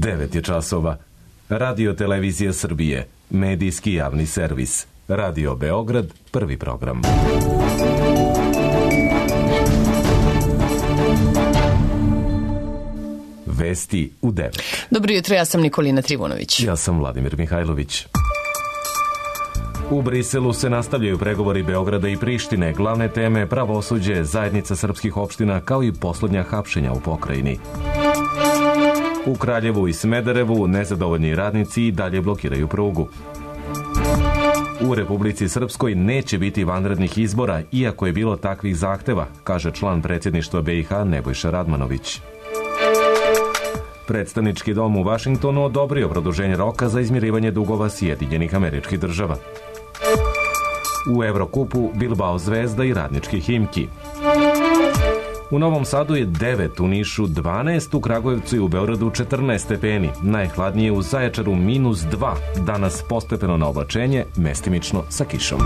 9 je časova. Radio Televizija Srbije, medijski javni servis. Radio Beograd, prvi program. Vesti u 9. Dobro jutro, ja sam Nikolina Trivunović. Ja sam Vladimir Mihajlović. U Briselu se nastavljaju pregovori Beograda i Prištine, glavne teme pravosuđe, zajednica srpskih opština, kao i poslednja hapšenja u pokrajini. U Kraljevu i Smederevu nezadovoljni radnici i dalje blokiraju prugu. U Republici Srpskoj neće biti vanrednih izbora, iako je bilo takvih zahteva, kaže član predsjedništva BiH Nebojša Radmanović. Predstavnički dom u Vašingtonu odobrio produženje roka za izmirivanje dugova Sjedinjenih Američkih Država. U Evrokupu Bilbao Zvezda i Radnički Himki. U Novom Sadu je 9, u Nišu 12, u Kragujevcu i u Beogradu 14 stepeni. Najhladnije u Zaječaru -2, danas postepeno na oblačenje, mestimično sa kišom.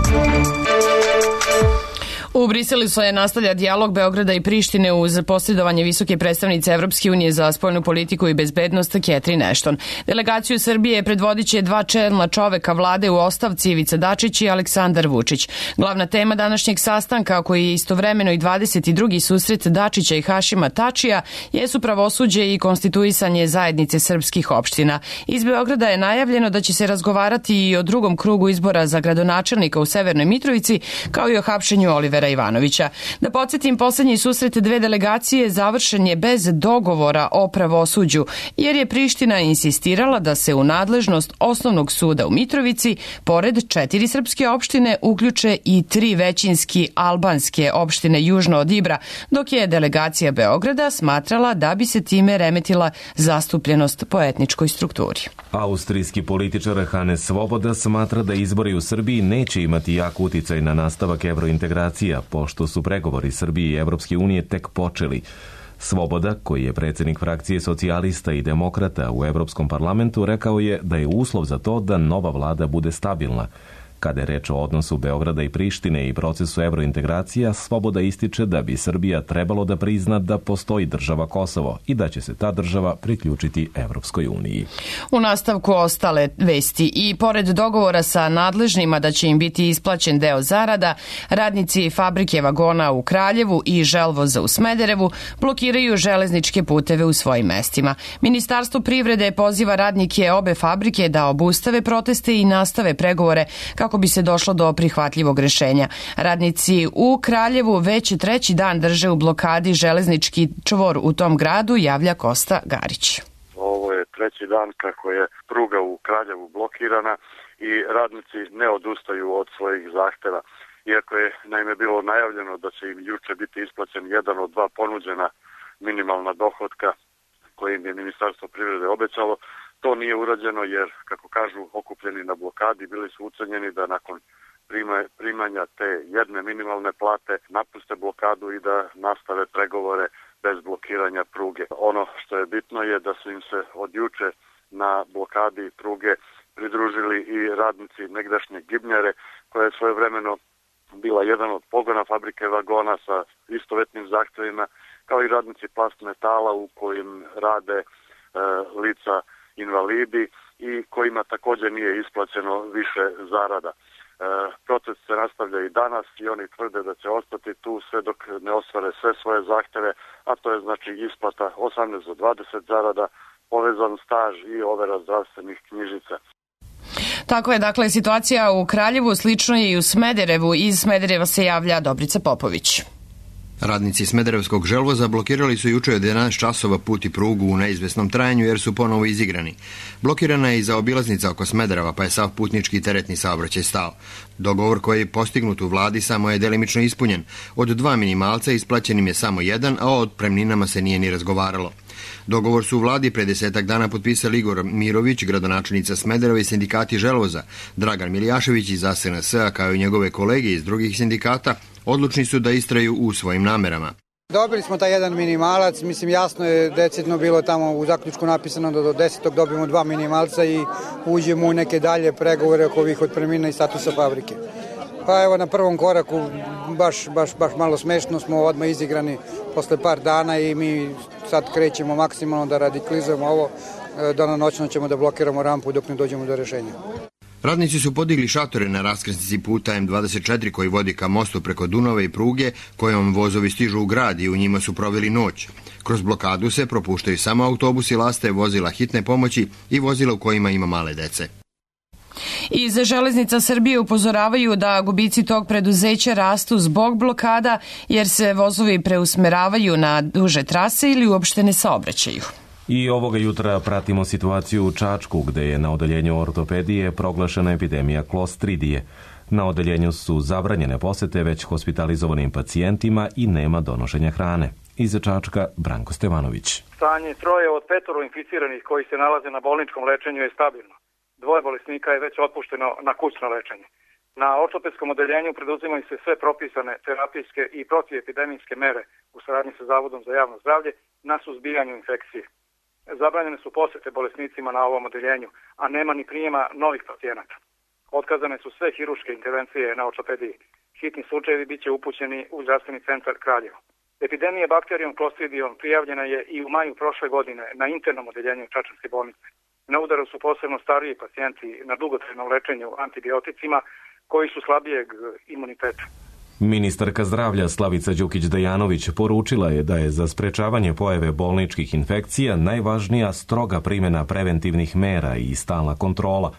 U Briselu se nastavlja dijalog Beograda i Prištine uz posredovanje visoke predstavnice Evropske unije za spoljnu politiku i bezbednost Catherine Ashton. Delegaciju Srbije predvodit će dva čelna čoveka vlade u ostavci, Ivica Dačić i Aleksandar Vučić. Glavna tema današnjeg sastanka, koji je istovremeno i 22. susret Dačića i Hašima Tačija, jesu pravosuđe i konstituisanje zajednice srpskih opština. Iz Beograda je najavljeno da će se razgovarati i o drugom krugu izbora za gradonačelnika u Severnoj Mitrovici, kao i o hapšenju Olivera Ivanovića. Da podsjetim, poslednji susret dve delegacije završen je bez dogovora o pravosuđu, jer je Priština insistirala da se u nadležnost osnovnog suda u Mitrovici, pored 4 srpske opštine, uključe i 3 većinski albanske opštine južno od Ibra, dok je delegacija Beograda smatrala da bi se time remetila zastupljenost po etničkoj strukturi. Austrijski političar Hannes Svoboda smatra da izbori u Srbiji neće imati jak uticaj na nastavak evrointegracija, pošto su pregovori Srbije i Evropske unije tek počeli. Svoboda, koji je predsjednik frakcije socijalista i demokrata u Evropskom parlamentu, rekao je da je uslov za to da nova vlada bude stabilna. Kada je reč o odnosu Beograda i Prištine i procesu evrointegracija, Svoboda ističe da bi Srbija trebalo da prizna da postoji država Kosovo i da će se ta država priključiti Evropskoj uniji. U nastavku ostale vesti. I pored dogovora sa nadležnima da će im biti isplaćen deo zarada, radnici fabrike vagona u Kraljevu i želvoza u Smederevu blokiraju železničke puteve u svojim mestima. Ministarstvo privrede poziva radnike obe fabrike da obustave proteste i nastave pregovore kako bi se došlo do prihvatljivog rešenja. Radnici u Kraljevu već 3. dan drže u blokadi železnički čvor u tom gradu, javlja Kosta Garić. Ovo je 3. dan kako je pruga u Kraljevu blokirana i radnici ne odustaju od svojih zahteva. Iako je naime bilo najavljeno da će im juče biti isplaćen jedan od 2 ponuđena minimalna dohotka koje im je Ministarstvo privrede obećalo, to nije urađeno jer, kako kažu, okupljeni na blokadi bili su ucenjeni da nakon primanja te jedne minimalne plate napuste blokadu i da nastave pregovore bez blokiranja pruge. Ono što je bitno je da su im se od juče na blokadi pruge pridružili i radnici negdašnje Gibnjare, koja je svojevremeno bila jedan od pogona fabrike vagona sa istovetnim zahtevima, kao i radnici Plast Metala u kojim rade lica invalidi i kojima također nije isplaćeno više zarada. Proces se nastavlja i danas i oni tvrde da će ostati tu sve dok ne ostvare sve svoje zahteve, a to je znači isplata 18 do 20 zarada, povezan staž i overa zdravstvenih knjižica. Tako je, dakle, situacija u Kraljevu, slično je i u Smederevu. Iz Smedereva se javlja Dobrica Popović. Radnici Smederevskog želvoza blokirali su juče od 11 časova put i prugu u neizvesnom trajanju jer su ponovo izigrani. Blokirana je i zaobilaznica oko Smedereva, pa je sav putnički i teretni saobraćaj stao. Dogovor koji je postignut u vladi samo je delimično ispunjen. Od 2 minimalca isplaćenim je samo 1, a o otpremninama se nije ni razgovaralo. Dogovor su u vladi pre 10 dana potpisali Igor Mirović, gradonačelnica Smedereva i sindikati želvoza. Dragan Miljašević iz SNS-a, kao i njegove kolege iz drugih sindikata, odlučni su da istraju u svojim namerama. Dobili smo taj jedan minimalac, mislim jasno je decidno bilo tamo u zaključku napisano da do 10. dobijemo 2 minimalca i uđemo u neke dalje pregovore oko ovih otpremnina i statusa fabrike. Pa evo na prvom koraku baš malo smešno smo odmah izigrani posle par dana i mi sad krećemo maksimalno da radikalizujemo ovo danonoćno ćemo da blokiramo rampu dok ne dođemo do rešenja. Radnici su podigli šatore na raskrsnici puta M24 koji vodi ka mostu preko Dunava i pruge kojom vozovi stižu u grad i u njima su proveli noć. Kroz blokadu se propuštaju samo autobusi laste, vozila hitne pomoći i vozila u kojima ima male dece. Iz Železnica Srbije upozoravaju da gubici tog preduzeća rastu zbog blokada jer se vozovi preusmeravaju na duže trase ili uopšte ne saobraćaju. I ovoga jutra pratimo situaciju u Čačku gde je na odeljenju ortopedije proglašena epidemija klostridije. Na odeljenju su zabranjene posete već hospitalizovanim pacijentima i nema donošenja hrane. Iz Čačka Branko Stevanović. Stanje 3 od 5 inficiranih koji se nalaze na bolničkom lečenju je stabilno. 2 bolesnika je već otpušteno na kućno lečenje. Na ortopedskom odeljenju preduzimaju se sve propisane terapijske i protiepidemijske mere u saradnji sa Zavodom za javno zdravlje na suzbijanju infekcije. Zabranjene su posete bolesnicima na ovom odeljenju, a nema ni prijema novih pacijenata. Otkazane su sve hiruške intervencije na ortopediji. Hitni slučajevi biće upućeni u zdravstveni centar Kraljevo. Epidemija bakterijom klostridijom prijavljena je i u maju prošle godine na internom odeljenju Čačanske bolnice. Na udaru su posebno stariji pacijenti na dugotrajnom lečenju antibioticima koji su slabijeg imuniteta. Ministarka zdravlja Slavica Đukić-Dejanović poručila je da je za sprečavanje pojave bolničkih infekcija najvažnija stroga primjena preventivnih mera i stalna kontrola.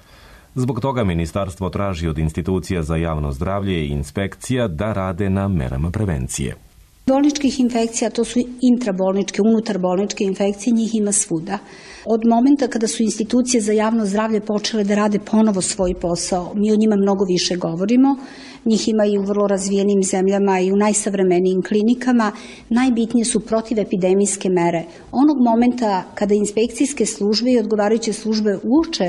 Zbog toga ministarstvo traži od institucija za javno zdravlje i inspekcija da rade na merama prevencije. Bolničkih infekcija, to su intrabolničke, unutarbolničke infekcije, njih ima svuda. Od momenta kada su institucije za javno zdravlje počele da rade ponovo svoj posao, mi o njima mnogo više govorimo. Njih ima i u vrlo razvijenim zemljama i u najsavremenijim klinikama. Najbitnije su protivepidemijske mere. Onog momenta kada inspekcijske službe i odgovarajuće službe uoče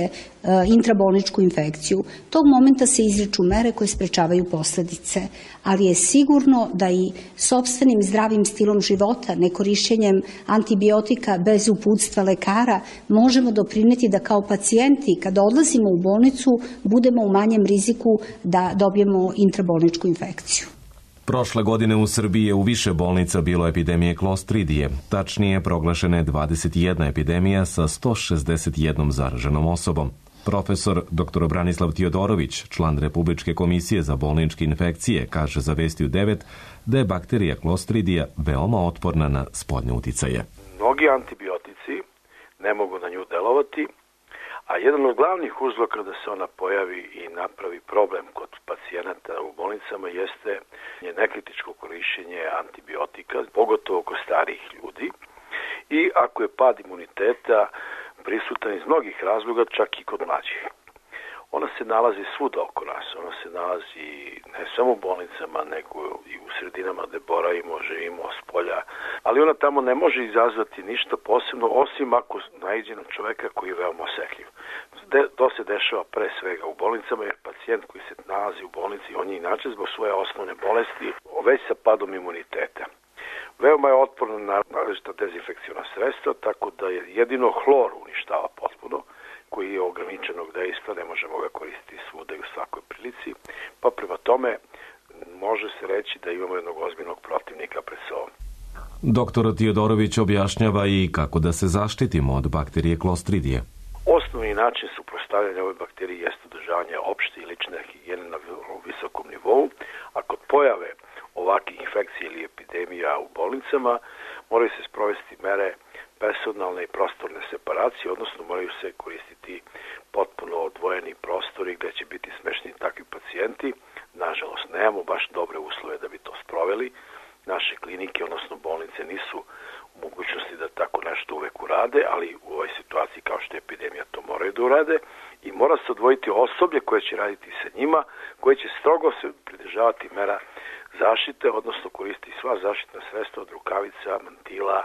intrabolničku infekciju, tog momenta se izriču mere koje sprečavaju posledice. Ali je sigurno da i sopstvenim zdravim stilom života, nekorišćenjem antibiotika bez uputstva lekara, možemo doprineti da kao pacijenti, kada odlazimo u bolnicu, budemo u manjem riziku da dobijemo intrabolničku infekciju. Prošle godine u Srbiji je u više bolnica bilo epidemije klostridije. Tačnije, proglašena je 21 epidemija sa 161 zaraženom osobom. Profesor dr. Branislav Tiodorović, član Republičke komisije za bolničke infekcije, kaže za Vesti u 9 da je bakterija klostridija veoma otporna na spoljne uticaje. Mnogi antibiotici ne mogu na nju delovati, a jedan od glavnih uzroka da se ona pojavi i napravi problem kod pacijenata u bolnicama jeste nekritičko korišćenje antibiotika, pogotovo kod starijih ljudi. I ako je pad imuniteta prisutan iz mnogih razloga, čak i kod mlađih. Ona se nalazi svuda oko nas, ona se nalazi ne samo u bolnicama, nego i u sredinama gde boravimo, živimo s polja, ali ona tamo ne može izazvati ništa posebno, osim ako naiđe na čoveka koji je veoma osetljiv. To se dešava pre svega u bolnicama, jer pacijent koji se nalazi u bolnici, on je inače zbog svoje osnovne bolesti već sa padom imuniteta. Veoma je otporno na različita dezinfekcijona sredstva, tako da je jedino hlor uništava potpuno, koji je ograničenog dejstva, ne možemo ga koristiti svuda i u svakoj prilici, pa prema tome može se reći da imamo jednog ozbiljnog protivnika pred sobom. Doktor Tiodorović objašnjava i kako da se zaštitimo od bakterije klostridije. Osnovni način suprotstavljanja ove bakterije jeste održavanje opšte i lične higijene na visokom nivou, a kod pojave ovakvih infekcija ili epidemija u bolnicama moraju se sprovesti mere personalne i prostorne separacije, odnosno moraju se koristiti potpuno odvojeni prostori gde će biti smešteni takvi pacijenti. Nažalost, nemamo baš dobre uslove da bi to sproveli. Naše klinike, odnosno bolnice, nisu u mogućnosti da tako nešto uvek urade, ali u ovoj situaciji kao što je epidemija to moraju da urade i mora se odvojiti osoblje koje će raditi sa njima, koje će strogo se pridržavati mera zaštite, odnosno koristiti sva zaštitna sredstva od rukavica, mantila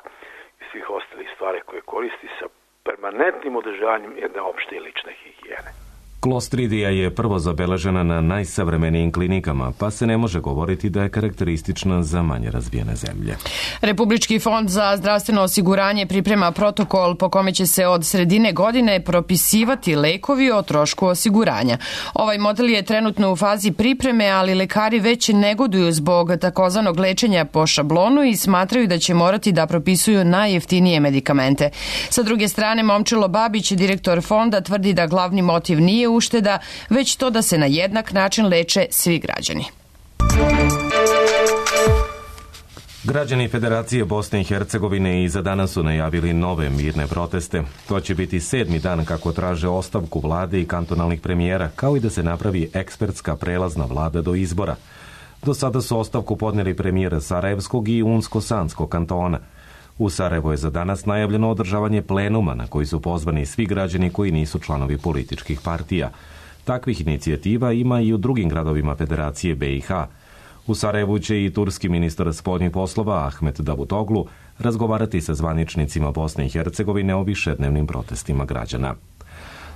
i svih ostalih stvari koje koristi sa permanentnim održavanjem jedne opšte i lične higijene. Klostridija je prvo zabeležena na najsavremenijim klinikama, pa se ne može govoriti da je karakteristična za manje razvijene zemlje. Republički fond za zdravstveno osiguranje priprema protokol po kome će se od sredine godine propisivati lekovi o trošku osiguranja. Ovaj model je trenutno u fazi pripreme, ali lekari već negoduju zbog takozvanog lečenja po šablonu i smatraju da će morati da propisuju najjeftinije medikamente. Sa druge strane, Momčilo Babić, direktor fonda, tvrdi da glavni motiv nije ušteda, već to da se na jednak način leče svi građani. Građani Federacije Bosne i Hercegovine i za danas su najavili nove mirne proteste. To će biti 7. dan kako traže ostavku vlade i kantonalnih premijera, kao i da se napravi ekspertska prelazna vlada do izbora. Do sada su ostavku podnijeli premijer Sarajevskog i Unsko-Sanskog kantona. U Sarajevo je za danas najavljeno održavanje plenuma na koji su pozvani svi građani koji nisu članovi političkih partija. Takvih inicijativa ima i u drugim gradovima Federacije BiH. U Sarajevu će i turski ministar spoljnih poslova Ahmet Davutoglu razgovarati sa zvaničnicima Bosne i Hercegovine o višednevnim protestima građana.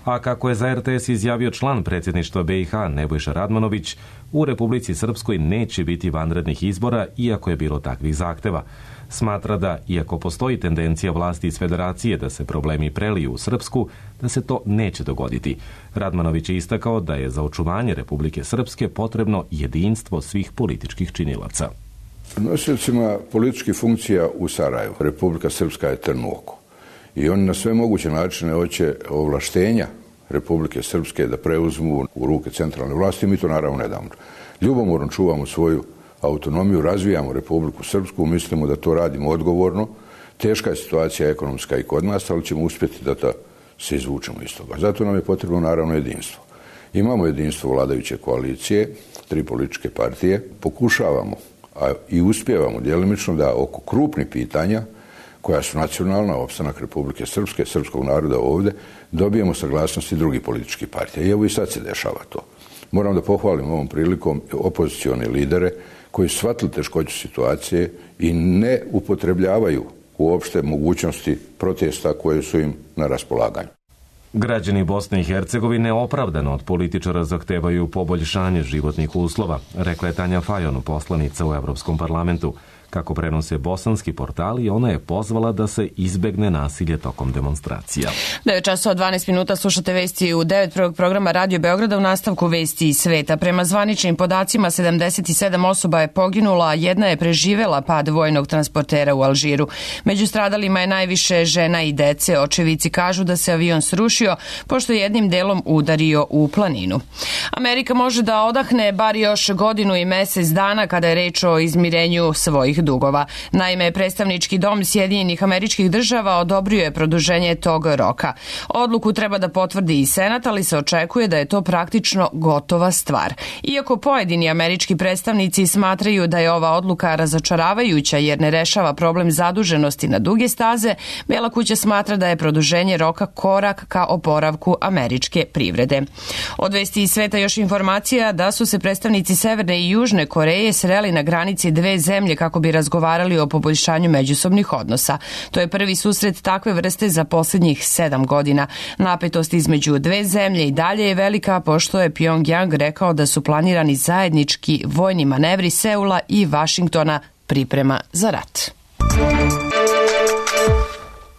A kako je za RTS izjavio član predsjedništva BiH Nebojša Radmanović, u Republici Srpskoj neće biti vanrednih izbora, iako je bilo takvih zahteva. Smatra da, iako postoji tendencija vlasti iz Federacije da se problemi preliju u Srpsku, da se to neće dogoditi. Radmanović je istakao da je za očuvanje Republike Srpske potrebno jedinstvo svih političkih činilaca. Nosiocima političkih funkcija u Sarajevu Republika Srpska je trn u oku. I oni na sve moguće načine hoće ovlaštenja Republike Srpske da preuzmu u ruke centralne vlasti. Mi to naravno ne damo. Ljubomorno čuvamo svoju autonomiju, razvijamo Republiku Srpsku, mislimo da to radimo odgovorno. Teška je situacija ekonomska i kod nas, ali ćemo uspjeti da se izvučemo iz toga. Zato nam je potrebno naravno jedinstvo. Imamo jedinstvo vladajuće koalicije, 3 političke partije. Pokušavamo, a i uspijevamo djelimično da oko krupnih pitanja koja su nacionalna, opstanak Republike Srpske, srpskog naroda ovdje, dobijemo saglasnosti drugih političkih partija. I evo i sad se dešava to. Moram da pohvalim ovom prilikom opozicione lidere koji su shvatili teškoću situacije i ne upotrebljavaju uopšte mogućnosti protesta koje su im na raspolaganju. Građani Bosne i Hercegovine opravdano od političara zahtevaju poboljšanje životnih uslova, rekla je Tanja Fajon, poslanica u Evropskom parlamentu. Kako prenose bosanski portali, ona je pozvala da se izbegne nasilje tokom demonstracija. 9:12 slušate vesti u 9. programa Radio Beograda. U nastavku vesti iz sveta. Prema zvaničnim podacima 77 osoba je poginula, a jedna je preživela pad vojnog transportera u Alžiru. Među stradalima je najviše žena i dece. Očevici kažu da se avion srušio pošto je jednim delom udario u planinu. Amerika može da odahne bar još godinu i mesec dana kada je reč o izmirenju svojih dugova. Naime, predstavnički dom Sjedinjenih Američkih Država odobrio je produženje tog roka. Odluku treba da potvrdi i Senat, ali se očekuje da je to praktično gotova stvar. Iako pojedini američki predstavnici smatraju da je ova odluka razočaravajuća jer ne rešava problem zaduženosti na duge staze, Bela kuća smatra da je produženje roka korak ka oporavku američke privrede. Od vesti iz sveta još informacija da su se predstavnici Severne i Južne Koreje sreli na granici dve zemlje kako bi razgovarali o poboljšanju međusobnih odnosa. To je prvi susret takve vrste za posljednjih 7 godina. Napetost između dve zemlje i dalje je velika, pošto je Pyongyang rekao da su planirani zajednički vojni manevri Seula i Vašingtona priprema za rat.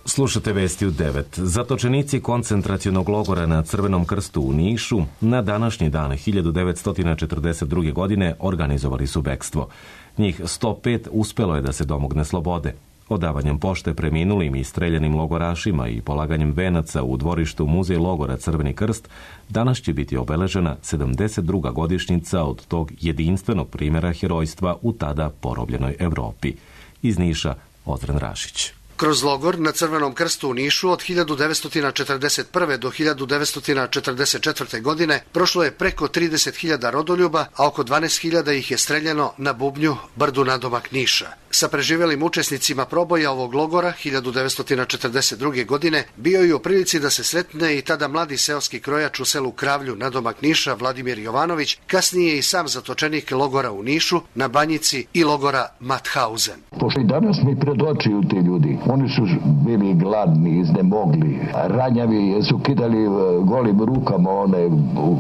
Slušate vesti u 9. Zatočenici koncentracionog logora na Crvenom krstu u Nišu na današnji dan 1942. godine organizovali su bekstvo. Njih 105 uspelo je da se domogne slobode. Odavanjem pošte preminulim i streljanim logorašima i polaganjem venaca u dvorištu Muzej logora Crveni krst danas će biti obeležena 72. godišnjica od tog jedinstvenog primjera herojstva u tada porobljenoj Evropi. Iz Niša, Ozren Rašić. Kroz logor na Crvenom krstu u Nišu od 1941. do 1944. godine prošlo je preko 30.000 rodoljuba, a oko 12.000 ih je streljano na Bubnju, brdu nadomak Niša. sa preživelim učesnicima proboja ovog logora 1942. godine bio je u prilici da se sretne i tada mladi seoski krojač u selu Kravlju nadomak Niša Vladimir Jovanović, kasnije i sam zatočenik logora u Nišu, na Banjici i logora Mauthausen. Pošto i danas mi predočuju ti ljudi, oni su bili gladni, iznemogli, ranjavi, su kidali golim rukama one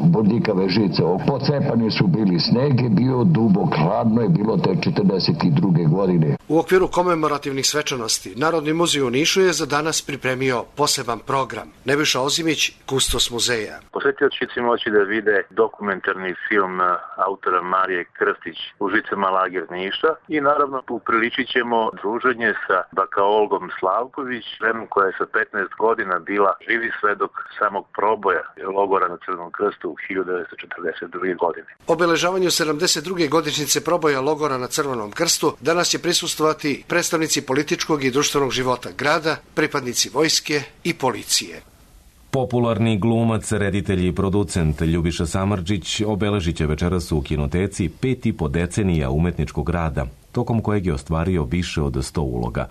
bodljikave žice, pocepani su bili, sneg je bio dubok, hladno je bilo te 42. godine. U okviru komemorativnih svečanosti Narodni muzej u Nišu je za danas pripremio poseban program. Nebojša Ozimić, kustos muzeja. Posetioci će moći da vide dokumentarni film autora Marije Krstić Užicama lager Niša i naravno upriličit ćemo druženje sa baka Olgom Slavković, ženom koja je sa 15 godina bila živi svedok samog proboja logora na Crvenom krstu u 1942. godine. Obeležavanju 72. godišnjice proboja logora na Crvenom krstu danas će prisustvovati predstavnici političkog i društvenog života grada, pripadnici vojske i policije. Popularni glumac, reditelj i producent Ljubiša Samardžić obeležit će večeras u kinoteci 5,5 decenija umetničkog rada, tokom kojeg je ostvario više od 100 uloga.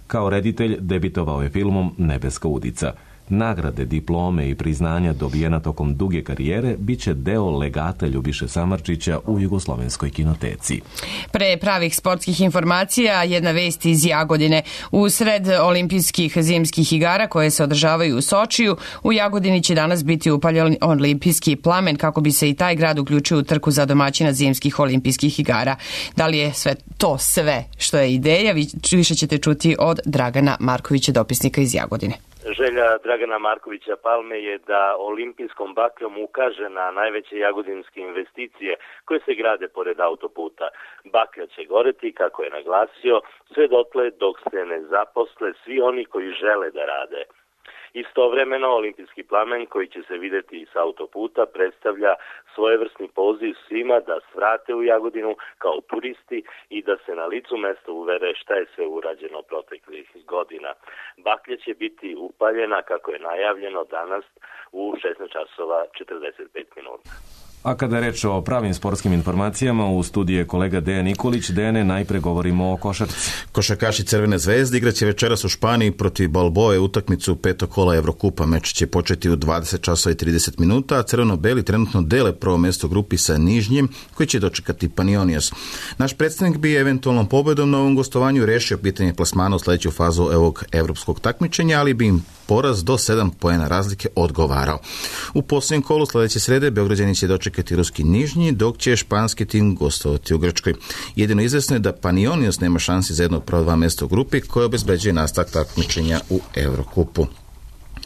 Kao reditelj debitovao je filmom Nebeska udica. Nagrade, diplome i priznanja dobijena tokom duge karijere biće deo legata Ljubiše Samardžića u Jugoslovenskoj kinoteci. Pre pravih sportskih informacija, jedna vest iz Jagodine. U sred olimpijskih zimskih igara koje se održavaju u Sočiju, u Jagodini će danas biti upaljen olimpijski plamen kako bi se i taj grad uključio u trku za domaćina zimskih olimpijskih igara. Da li je sve što je ideja, više ćete čuti od Dragana Markovića, dopisnika iz Jagodine. Želja Dragana Markovića Palme je da olimpijskom bakljom ukaže na najveće jagodinske investicije koje se grade pored autoputa. Baklja će goreti, kako je naglasio, sve dotle dok se ne zaposle svi oni koji žele da rade. Istovremeno, olimpijski plamen koji će se videti s autoputa predstavlja svojevrsni poziv svima da svrate u Jagodinu kao turisti i da se na licu mesta uvere šta je sve urađeno proteklih godina. Baklja će biti upaljena, kako je najavljeno, danas u 16:45. A kada je reč o pravim sportskim informacijama, u studiju je kolega Dejan Nikolić. Dejane, najpre govorimo o košarci. Košarkaši Crvene zvezde igraće večeras u Španiji protiv Balboe utakmicu 5. kola Evrokupa. Meč će početi u 20:30, a crveno-beli trenutno dele prvo mesto grupi sa Nižnjim, koji će dočekati Panionios. Naš predstavnik bi eventualnom pobedom na ovom gostovanju rešio pitanje plasmana u sledeću fazu ovog evropskog takmičenja, ali bi im poraz do 7 poena razlike odgovarao. U posljednjem kolu sledeće srede Beograđani će dočekati ruski Nižnji, dok će španski tim gostovati u Grčkoj. Jedino izvesno je da Panionios nema šansi za jedno od prva 2 mesta u grupi koje obezbeđuje nastavak takmičenja u Evrokupu.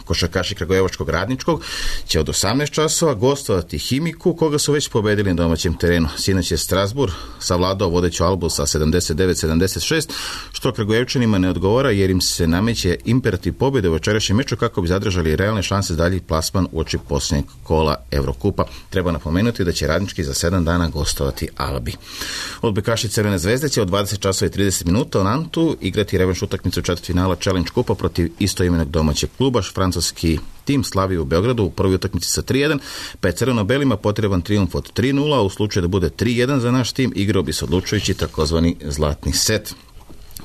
Košarkaši Kragujevačkog Radničkog će od 18 časova gostovati Himiku, koga su već pobedili na domaćem terenu. Sinoć je Strasbourg savladao vodeću Albu sa 79-76, što Kragujevčanima ne odgovara jer im se nameće imperativ pobjede u večerašnjem meču kako bi zadržali realne šanse za dalji plasman uoči posljednjeg kola Evrokupa. Treba napomenuti da će Radnički za 7 dana gostovati Albi. Odbojkaši Crvene zvezde će od 20:30 u Nantu igrati revanš utakmicu četvrtfinala Challenge Kupa protiv istoimenog domaćeg kluba. Francuski tim slavi u Beogradu u prvoj utakmici sa 3:1, pa je crveno-belima potreban trijumf od 3:0, a u slučaju da bude 3:1 za naš tim, igrao bi se odlučujući takozvani zlatni set.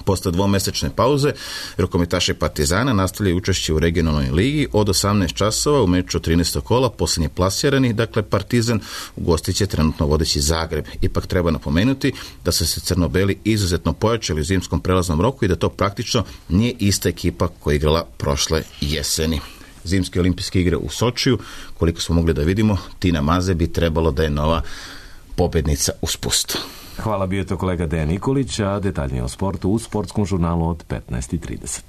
Posle dvomesečne pauze, rukometaši Partizana nastavljaju učešće u regionalnoj ligi od 18 časova u meču 13. kola, posljednje plasirani, dakle Partizan ugostit će trenutno vodeći Zagreb. Ipak treba napomenuti da su se crno-beli izuzetno pojačali u zimskom prelaznom roku i da to praktično nije ista ekipa koja je igrala prošle jeseni. Zimske olimpijske igre u Sočiju, koliko smo mogli da vidimo, Tina Maze bi trebalo da je nova pobednica u spustu. Hvala, bio je to kolega Dejan Nikolić, a detaljnije o sportu u sportskom žurnalu od 15:30.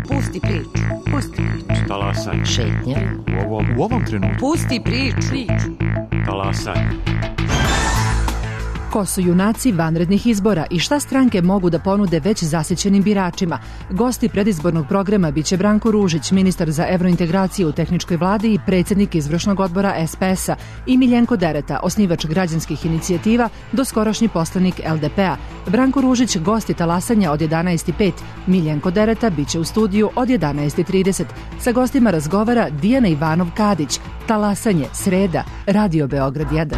Pusti priču. Talasaj. Šetnja. U ovom trenutku. Pusti priču. Talasaj. Ko su junaci vanrednih izbora i šta stranke mogu da ponude već zasićenim biračima? Gosti predizbornog programa biće Branko Ružić, ministar za evrointegraciju u tehničkoj vladi i predsjednik izvršnog odbora SPS-a, i Miljenko Dereta, osnivač građanskih inicijativa, doskorašnji poslanik LDP-a. Branko Ružić gosti talasanja od 11:05. Miljenko Dereta biće u studiju od 11:30. Sa gostima razgovara Dijana Ivanov-Kadić. Talasanje, sreda, Radio Beograd 1.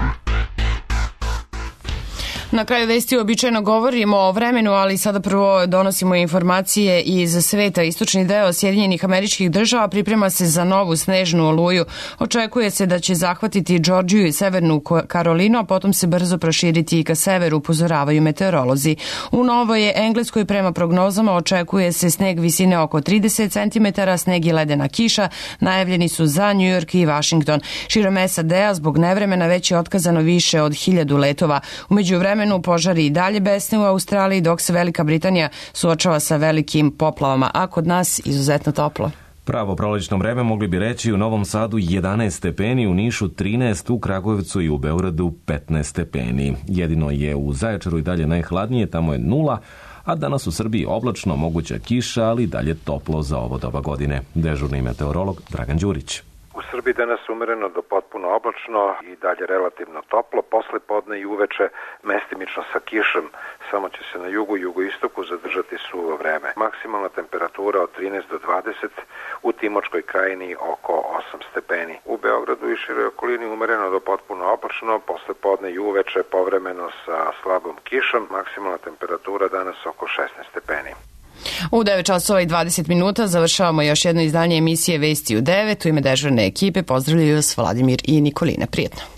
Na kraju vesti običajno govorimo o vremenu, ali sada prvo donosimo informacije iz sveta. Istočni deo Sjedinjenih Američkih Država priprema se za novu snežnu oluju. Očekuje se da će zahvatiti Džordžiju i Severnu Karolinu, a potom se brzo proširiti i ka severu, upozoravaju meteorolozi. U Novoj Engleskoj prema prognozama očekuje se sneg visine oko 30 cm, sneg i ledena kiša. Najavljeni su za New York i Washington. Širom SAD-a zbog nevremena već je otkazano više od 1000 letova. U međuvremenu požari i dalje besne u Australiji, dok se Velika Britanija suočava sa velikim poplavama, a kod nas izuzetno toplo. Pravo prolećno vreme mogli bi reći u Novom Sadu 11 stepeni, u Nišu 13, u Kragujevcu i u Beogradu 15 stepeni. Jedino je u Zaječaru i dalje najhladnije, tamo je 0, a danas u Srbiji oblačno, moguća kiša, ali dalje toplo za ovo doba godine. Dežurni meteorolog Dragan Đurić. U Srbiji danas umereno do potpuno oblačno i dalje relativno toplo, posle podne i uveče mestimično sa kišom, samo će se na jugu i jugoistoku zadržati suvo vreme. Maksimalna temperatura od 13 do 20, u Timočkoj krajini oko 8 stepeni. U Beogradu i široj okolini umereno do potpuno oblačno, posle podne i uveče povremeno sa slabom kišom, maksimalna temperatura danas oko 16 stepeni. U 9 časova i 20 minuta završavamo još jedno izdanje emisije Vesti u 9. U ime dežurne ekipe pozdravljaju vas Vladimir i Nikolina. Prijetno.